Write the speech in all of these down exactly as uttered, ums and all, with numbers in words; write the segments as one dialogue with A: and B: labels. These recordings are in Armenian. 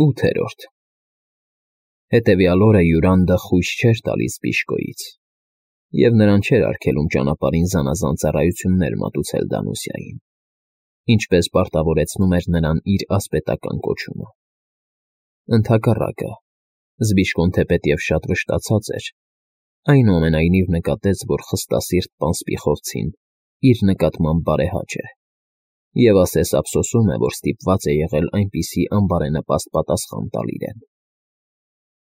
A: ՈՒԹԵՐՈՐԴ Հետևյալ օրը Յուրանդը խույս չէր տալիս Բիժկոյից և նրան չէր արգելում ճանապարհին զանազան ծառայություններ մատուցել Դանուսիային, ինչպես պարտավորեցնում էր նրան իր ասպետական կոչումը. ընդհակառակը, Զբիժկոն թեպետև շատ վշտացած էր, այնուամենայնիվ նկատեց, որ խստասիրտ պան Սպիխովցին իր նկատմամբ բարեհաճ է և ասես ափսոսում է, որ ստիպված է եղել այնպիսի անբարենպաստ պատասխան տալ իրեն։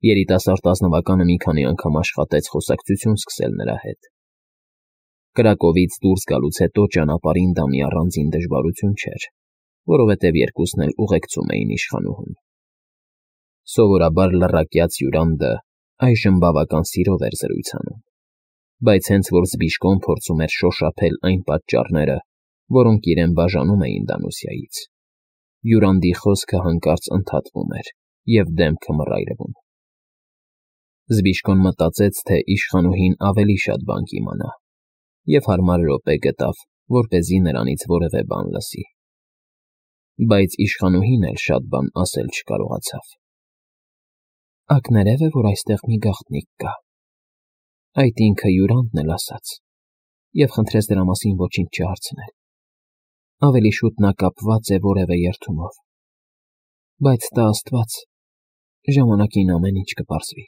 A: Երիտասարդ ազնվականը մի քանի անգամ աշխատեց խոսակցություն սկսել նրա հետ։ Կրակովից դուրս գալուց հետո ճանապարհին դա մի առանձին դժվարություն չէր, որովհետև երկուսն էլ ուղեկցում էին իշխանուհուն։ Սովորաբար լռակյաց Յուրանդը այժմ բավական սիրով էր զրույց անում, բայց հենց որ Զբիժկոն փորձում էր շոշափել այն պատճառները, որոնք իրեն բաժանում էին Դանուսիայից, Յուրանդի խոսքը հանկարծ ընդհատվում էր և դեմքը մռայլվում։ Զբիժկոն մտածեց, թե իշխանուհին ավելի շատ բան կիմանա, և հարմար րոպե գտավ, որպեսզի նրանից որևէ բան լսի։ Բայց իշխանուհին էլ շատ բան ասել չկարողացավ։ Ակներև է, որ այստեղ մի գաղտնիք կա, այդ ինքը Յուրանդն էլ ասաց, և խնդրեց դրա մասին ոչինչ չհարցնել։ Ավելի շուտ նա կապված է որևէ երդումով, բայց տա աստված, ժամանակին ամեն ինչ կպարզվի։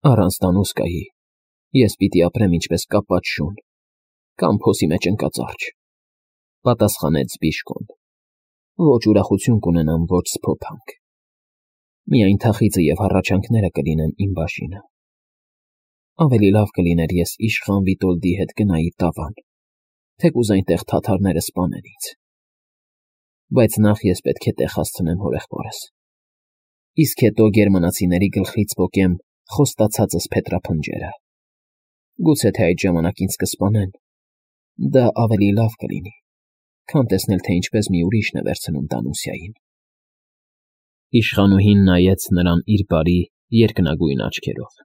A: Առանց Դանուսկայի ես պիտի ապրեմ ինչպես կապած շուն կամ փոսի մեջ ընկած արջ, պատասխանեց Զբիժկոն, ոչ ուրախություն կունենամ, ոչ սփոփանք, միայն թախիծը և հառաչանքները կլինեն իմ բաժինը։ Ավելի լավ կլիներ, ես իշխան Վիտոլդի հետ գնայի Տավան, թեկուզ այնտեղ թաթարները սպանեն ինձ։ Բայց նախ ես պետք է տեղ հասցնեմ հորեղբորս, իսկ հետո գերմանացիների գլխից պոկեմ խոստացածս փետրափնջերը։ Գուցե թե այդ ժամանակ ինձ կսպանեն, դա ավելի լավ կլինի, քան տեսնել, թե ինչպես մի ուրիշն է վերցնում Դանուսիային։ Իշխանուհին նայեց նրան իր բարի, երկնագույն աչքերով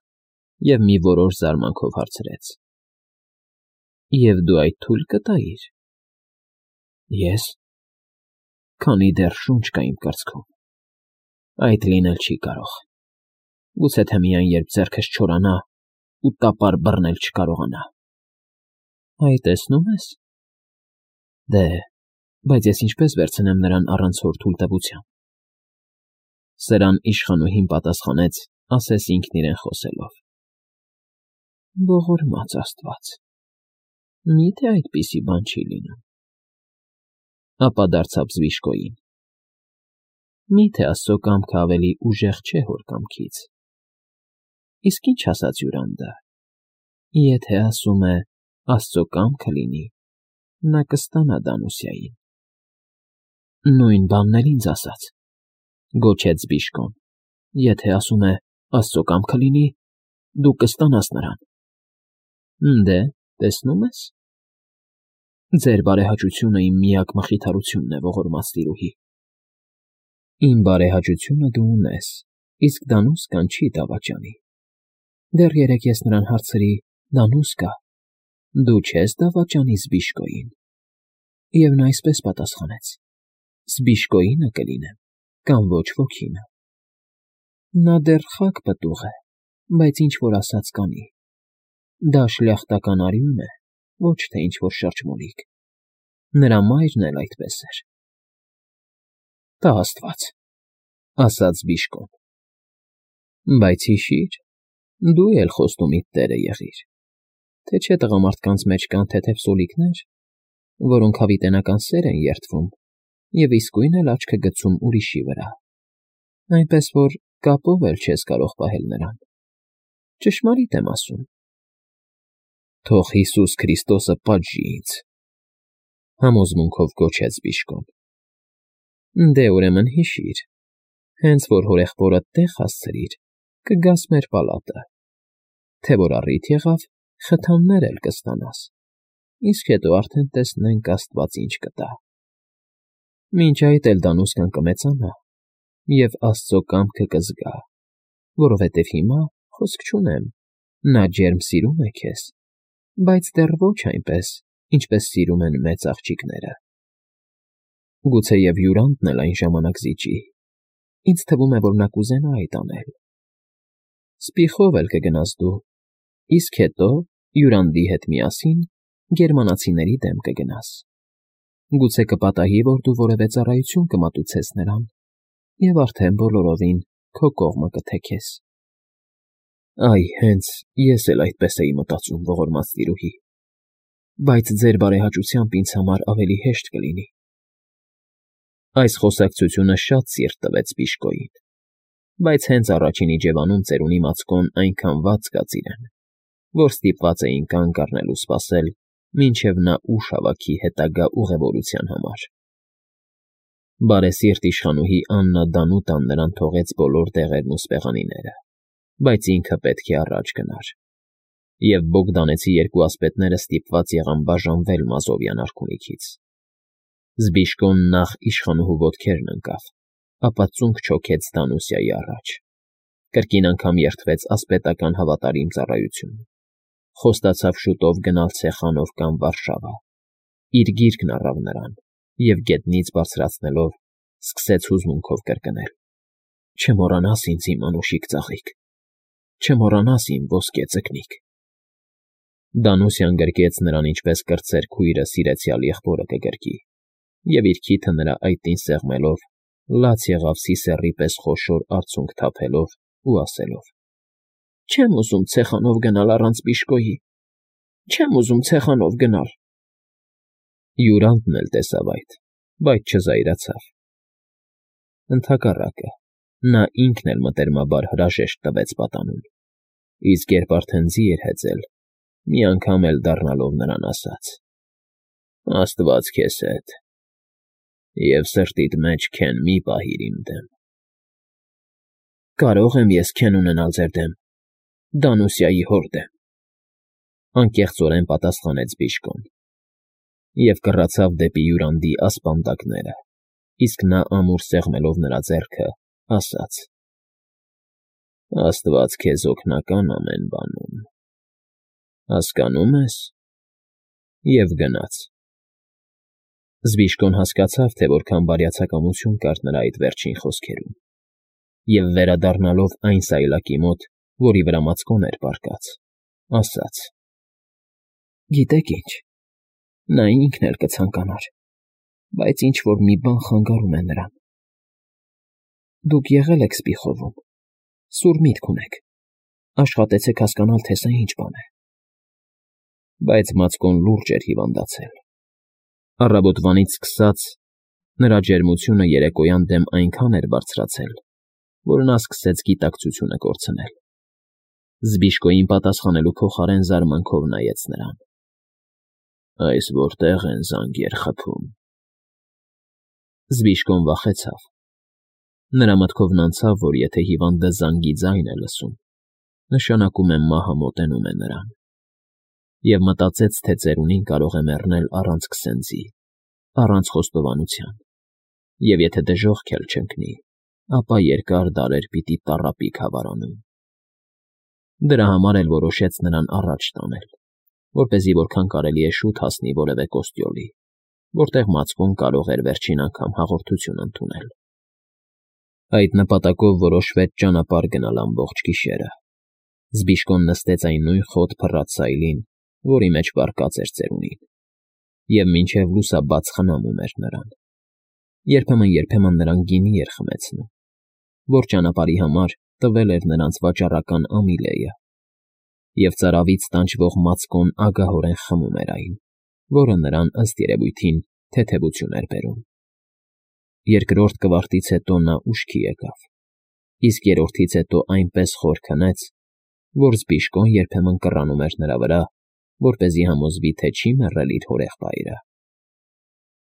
A: և մի որոշ զարմանքով հարցրեց. Եվ դու այդ թույլ կտա՞իր։ Ես, քանի դեռ շունչ կա իմ կրծքում, այդ լինել չի կարող, գուցե թե միայն երբ ձեռքս չորանա ու տապար բռնել չկարողանա։ Այ տեսնում ես։ Դե, բայց ես ինչպես վերցնեմ նրան առանց հոր թույլտվության։ Սրան իշխանուհին պատասխանեց, ասես ինքն իրեն խոսելով. Ողորմած աստված, մի՞թե այդպիսի բան չի լինում։ Ապա դարձավ Զբիժկոյին. Մի՞թե աստծո կամքը ավելի ուժեղ չէ հոր կամքից։ Իսկ ինչ ասաց Յուրանդը. եթե ասում է աստծո կամքը լինի, նա կստանա Դանուսիային։ Նույն բանն էլ ինձ ասաց, գոչեց Զբիժկոն, եթե ասում է աստծո կամքը լինի, դու կստանաս նրան։ Դե, տեսնում ես։ Ձեր բարեհաճությունը իմ միակ մխիթարությունն է, ողորմած տիրուհի։ Իմ բարեհաճությունը դու ունես, իսկ Դանուսկան չի դավաճանի։ Դեռ երեկ ես նրան հարցրի. Դանուսկա, դու չե՞ս դավաճանի Զբիժկոյին։ Եվ նա այսպես պատասխանեց. Զբիժկոյինը կլինեմ, կամ ոչ ոքինը։ Նա դեռ խակ պտուղ է, բայց ինչ֊որ ասած կանի։ Դա շլյախտական արյուն է, ոչ թե ինչ֊որ շրջմոլիկ։ Նրա մայրն էլ այդպես էր։ Տա աստված, ասաց Զբիժկոն։ Բայց հիշիր, դու էլ խոստումիդ տերը եղիր, թե չէ տղամարդկանց մեջ կան թեթև սոլիկներ, որոնք հավիտենական սեր են երդվում և իսկույն էլ աչքը գցում ուրիշի վրա, այնպես որ կապով էլ չես կարող պահել նրան։ Ճշմարիտ եմ ասում։ Թող Հիսուս Քրիստոսը պատժի ինձ, համոզմունքով գոչեց Զբիժկոն։ Դե ուրեմն հիշիր, հենց որ հորեղբորդ տեղ հասցրիր, կգաս մեր պալատը, թե որ առիթ եղավ, խթաններ էլ կստանաս, իսկ հետո արդեն տեսնենք աստված ինչ կտա։ Մինչ այդ էլ Դանուսկան կմեծանա և աստծո կամքը կզգա, որովհետև հիմա, խոսք չունեմ, նա ջերմ սիրում է քեզ, բայց դեռ ոչ այնպես, ինչպես սիրում են մեծ աղջիկները։ Գուցեև Յուրանդն էլ այն ժամանակ զիջի, Ինձ թվում է, որ նա կուզենա այդ անել։ Սպիխով էլ կգնաս դու, իսկ հետո, Յուրանդի հետ միասին, գերմանացիների դեմ կգնաս։ Գուցե կպատահի, որ դու որևէ ծառայություն կմատուցես նրան, և արդեն բոլորովին քո կողմը կթեքես։ Այ հենց ես էլ այդպես էի մտածում, ողորմած տիրուհի, բայց ձեր բարեհաճությամբ ինձ համար ավելի հեշտ կլինի։ Այս խոսակցությունը շատ սիրտ տվեց Բիժկոյին, բայց հենց առաջին իջևանում ծերունի Մացկոն այնքան վատ զգաց իրեն, որ ստիպված էին կանգ առնել ու սպասել, մինչև նա ուժ հավաքի հետագա ուղևորության համար։ Բարեսիրտ իշխանուհի Աննա Դանուտան նրան թողեց բոլոր դեղերն ու սպեղանիները, բայց ինքը պետք է առաջ գնար, և Բոգդանեցի երկու ասպետները ստիպված եղան բաժանվել Մազովյան արքունիքից։ Զբիժկոն նախ իշխանուհու ոտքերն ընկավ, ապա ծունկ չոքեց Դանուսիայի առաջ, կրկին անգամ երդվեց ասպետական հավատարիմ ծառայություն, խոստացավ շուտով գնալ Ցեխանով կամ Վարշավա, իր գիրկն առավ նրան և գետնից բարձրացնելով սկսեց հուզմունքով կրկնել. «Չմոռանաս ինձ, իմ անուշիկ ծաղիկ, չմոռանաս իմ ոսկե ձկնիկ»։ Դանուսյան գրկեց նրան, ինչպես կրտսեր քույրը սիրեցյալ եղբորը կգրկի, և իր քիթը նրա այտին սեղմելով, լաց եղավ սիսեռի պես խոշոր արցունք թափելով ու ասելով. «Չեմ ուզում Ցեխանով գնալ առանց Բիժկոյի, չեմ ուզում Ցեխանով գնալ»։ Յուրանդն էլ տեսավ այդ, բայց չզայրացավ։ Ընդհակառակը, նա ինքն էլ մտերմաբար հրաժեշտ տվեց պատանուն, իսկ երբ արդեն ձի էր հեծել, մի անգամ էլ դառնալով նրան ասաց. «Աստված քեզ հետ, և սրտիդ մեջ քեն մի պահիր իմ դեմ»։ «Կարո՞ղ եմ ես քեն ունենալ ձեր դեմ, Դանուսիայի հոր դեմ», անկեղծորեն պատասխանեց Բիժկոն և կռացավ դեպի Յուրանդի ասպանդակները, իսկ նա ամուր սեղմելով նրա ձեռքը, ասաց. «Աստված քեզ օգնական ամեն բանում, հասկանո՞ւմ ես», և գնաց։ Զբիժկոն հասկացավ, թե որքան բարյացակամություն կար նրա այդ վերջին խոսքերում, և վերադառնալով այն սայլակի մոտ, որի վրա Մացկոն էր պառկած, ասաց. «Գիտեք ինչ, նա ինքն էլ կցանկանար, բայց ինչ֊որ մի բան խանգարում է նրան։ Դուք եղել եք Սպիխովում, սուր միտք ունեք, աշխատեցեք հասկանալ, թե սա ինչ բան է»։ Բայց Մացկոն լուրջ էր հիվանդացել։ Առավոտվանից սկսած նրա ջերմությունը երեկոյան դեմ այնքան էր բարձրացել, որ նա սկսեց գիտակցությունը կորցնել։ Զբիժկոյին պատասխանելու փոխարեն զարմանքով նայեց նրան։ «Այս որտե՞ղ են զանգեր խփում»։ Զբիժկոն վախեցավ։ Նրա մտքովն անցավ, որ եթե հիվանդը զանգի ձայն է լսում, նշանակում է մահը մոտենում է նրան, և մտածեց, թե ծերունին կարող է մեռնել առանց քսենձի, առանց խոստովանության, և եթե դժոխք էլ չընկնի, ապա երկար դարեր պիտի տառապի քավարանում։ Դրա համար էլ որոշեց նրան առաջ տանել, որպեսզի որքան կարելի է շուտ հասնի որևէ կոստյոլի, որտեղ Մացկոն կարող էր վերջին անգամ հաղորդություն ընդունել։ Այդ նպատակով որոշվեց ճանապարհ գնալ ամբողջ գիշերը։ Զբիժկոն նստեց այն նույն խոտ փռած սայլին, որի մեջ պառկած էր ծերունին, և մինչև լուսաբաց խնամում էր նրան։ Երբեմն֊երբեմն նրան գինի էր խմեցնում, որ ճանապարհի համար տվել էր նրանց վաճառական Ամիլեը, և ծարավից տանջվող Մացկոն ագահորեն խմում էր այն, որը նրան, ըստ երևույթին, թեթևություն էր բերում։ Երկրորդ կվարտից հետո նա ուշքի եկավ, իսկ երրորդից հետո այնպես խոր քնեց, որ Զբիժկոն երբեմն կռանում էր նրա վրա, որպեսզի համոզվի, թե չի մեռել իր հորեղբայրը։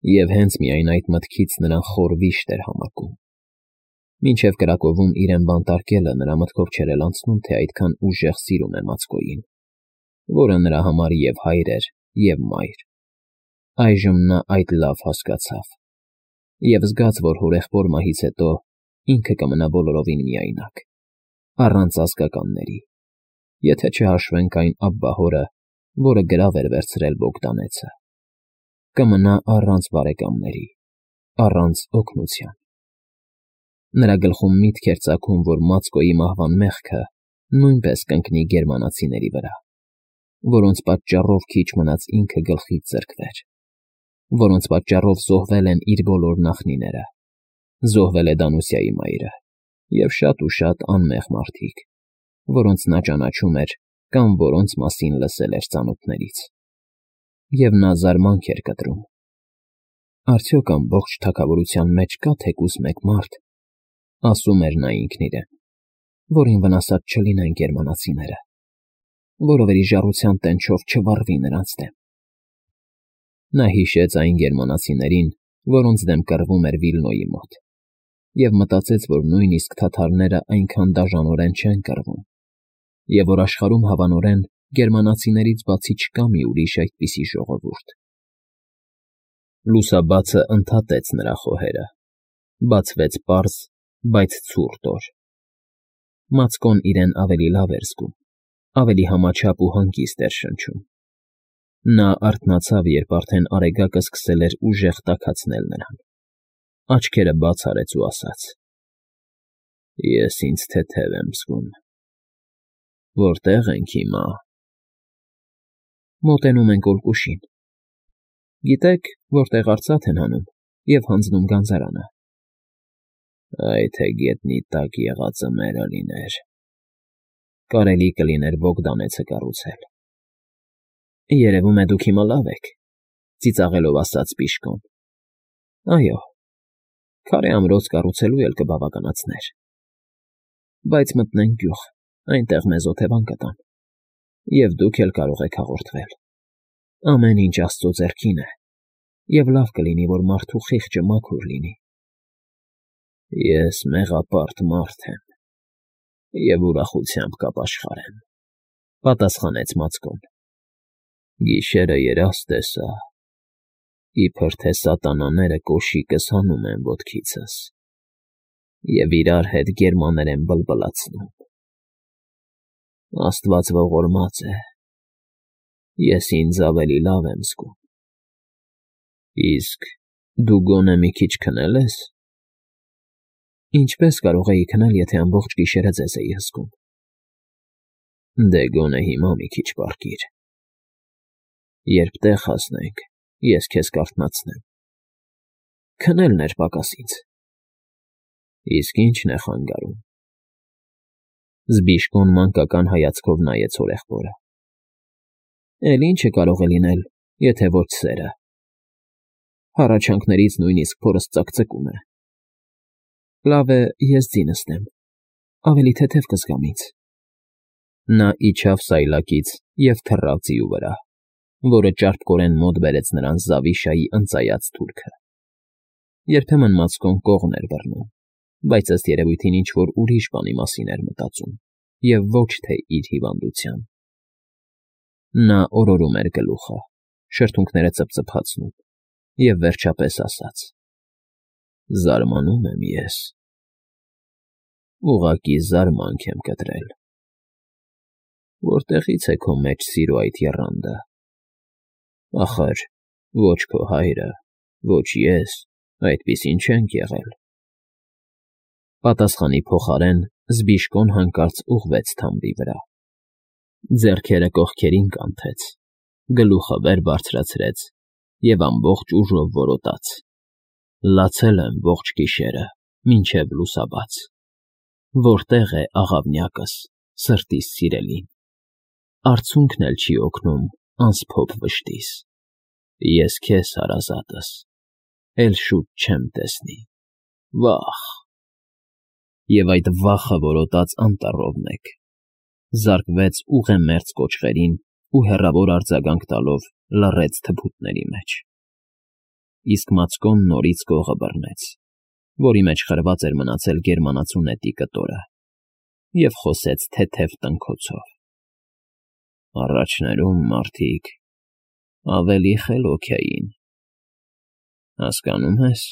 A: Եվ հենց միայն այդ մտքից նրան խոր վիշտ էր համակում։ Մինչև կրակովում իրեն բանտարկելը նրա մտքով չէր էլ անցնում, թե այդքան ուժեղ սիրում է Մացկոյին, որը նրա համար և հայր էր, և մայր։ Այժմ նա այդ լավ հասկացավ և զգաց, որ հորեղբոր մահից հետո ինքը կմնա բոլորովին միայնակ, առանց ազգականների, եթե չհաշվենք այն Աբբահորը, որը գրավ էր վերցրել Բոգդանեցը, կմնա առանց բարեկամների, առանց օգնության։ Նրա գլխում միտք էր ծագում, որ Մացկոյի մահվան մեղքը նույնպես կընկնի գերմանացիների վրա, որոնց պատճառով քիչ մնաց ինքը գլխից զրկվեր, որոնց պատճառով զոհվել են իր բոլոր նախնիները, զոհվել է Դանուսիայի մայրը և շատ ու շատ անմեղ մարդիկ, որոնց նա ճանաչում էր կամ որոնց մասին լսել էր ծանոթներից, և նա զարմանք էր կտրում. արդյոք ամբողջ թագավորության մեջ կա թեկուզ մեկ մարդ, ասում էր նա ինքն իրեն, որին վնասած չլինեն գերմանացիները, որը վերիժառության տենչով չվառվի նրանց դեմ։ Նա հիշեց այն գերմանացիներին, որոնց դեմ կռվում էր Վիլնոյի մոտ, և մտածեց, որ նույնիսկ թաթարները այնքան դաժանորեն չեն կռվում, և որ աշխարհում հավանորեն գերմանացիներից բացի չկա մի ուրիշ այդպիսի ժողովուրդ։ Լուսաբացը ընդհատեց նրա խոհերը, բացվեց պարզ, բայց ցուրտ օր։ Մացկոն իրեն ավելի լավ էր զգում, ավելի համաչափ ու հանգիստ էր շնչում։ Նա արթնացավ, երբ արդեն արեգակը սկսել էր ուժեղ տաքացնել նրան, աչքերը բաց արեց ու ասաց. «Ես ինձ թեթև եմ զգում։ Որտե՞ղ ենք հիմա»։ Մոտենում ենք Օլկուշին։ Գիտեք, որտեղ արծաթ են հանում և հանձնում գանձարանը։ Այ թե գետնի տակ եղածը մերը լիներ, կարելի կլիներ Բոգդանեցը կառուցել։ Երևում է դուք հիմա լավ եք, ծիծաղելով ասաց Բիժկոն։ Այո, քարե ամրոց կառուցելու էլ կբավականացներ։ Բայց մտնենք գյուղ, այնտեղ մեզ օթևան կտան, և դուք էլ կարող եք հաղորդվել։ Ամեն ինչ Աստծո ձեռքին է, և լավ կլինի, որ մարդու խիղճը մաքուր լինի։ Ես մեղապարտ մարդ եմ և ուրախությամբ կապաշխարեմ, պատասխանեց Մացկոն։ Գիշերը երազ տեսա, իբր թե սատանաները կոշիկս հանում են ոտքիցս և իրար հետ գերմաներեն բլբլացնում։ Աստված ողորմած է, ես ինձ ավելի լավ եմ զգում։ Իսկ դու գոնե մի քիչ քնել ես։ Ինչպես կարող էի քնել, եթե ամբողջ գիշերը ձեզ էի հսկում։ Դե գոնե հիմա մի քիչ պառկիր։ Երբ տեղ հասնենք, ես քեզ կարթնացնեմ։ Քնելն էր պակաս ինձ։ Իսկ ի՞նչն է խանգարում։ Զբիժկոն մանկական հայացքով նայեց հորեղբորը։ Էլ ի՞նչը կարող է լինել, եթե ոչ սերը։ Հառաչանքներից նույնիսկ փորս ծակծկում է։ Լավ է, ես ձինս դեմ, ավելի թեթև կզգամ ինձ։ Նա իջավ սայլակից և թռավ ձիու վրա, որը ճարպկորեն մոտ բերեց նրան Զավիշայի ընծայած թուրքը։ Երբեմն Մացկոն կողն էր բռնում, բայց ըստ երևույթին ինչ֊որ ուրիշ բանի մասին էր մտածում, և ոչ թե իր հիվանդության։ Նա օրորում էր գլուխը, շրթունքները ծփծփացնում, և վերջապես ասաց. Զարմանում եմ ես։ Ուղղակի զարմանք եմ կտրել։ Որտեղի՞ց է քո մեջ սիրո այդ եռանդը։ Ախր ոչ քո հայրը, ոչ ես այդպիսին չենք եղել։ Պատասխանի փոխարեն Զբիժկոն հանկարծ ուղղվեց թամբի վրա, ձեռքերը կողքերին կանթեց, գլուխը վեր բարձրացրեց և ամբողջ ուժով որոտաց. Լացել եմ ողջ գիշերը, մինչև լուսաբաց։ Որտե՞ղ է աղավնյակս, սրտիս սիրելին։ Արցունքն էլ չի օգնում անսփոփ վշտիս։ Ես քեզ հարազատս, էլ շուտ չեմ տեսնի, վա՜խ։ Եվ այդ վախը որոտաց անտառով մեկ, զարկվեց ուղեմերձ կոճղերին ու հեռավոր արձագանք տալով լռեց թփուտների մեջ։ Իսկ Մացկոն նորից կողը բռնեց, որի մեջ խրված էր մնացել գերմանացու նետի կտորը, և խոսեց թեթև տնքոցով. Առաջներում մարդիկ ավելի խելոք էին։ Հասկանում ես։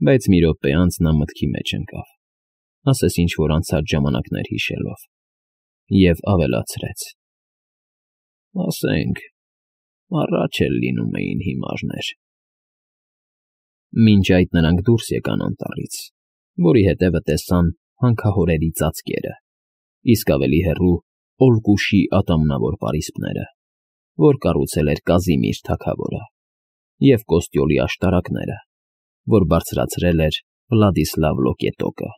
A: Բայց մի րոպե անց նա մտքի մեջ ընկավ, ասես ինչ֊որ անցած ժամանակներ հիշելով, և ավելացրեց. Ասենք, առաջ էլ լինում էին հիմարներ։ Մինչ այդ նրանք դուրս եկան անտառից որի հետևը տեսան հանքահորերի ծածկերը, իսկ ավելի հեռու Օրկուշի ատամնավոր պարիսպները, որ կառուցել էր Կազիմիր թագավորը, և Կոստյոլի աշտարակները, որ բարձրացրել էր Վլադիսլավ Լոկետոկը։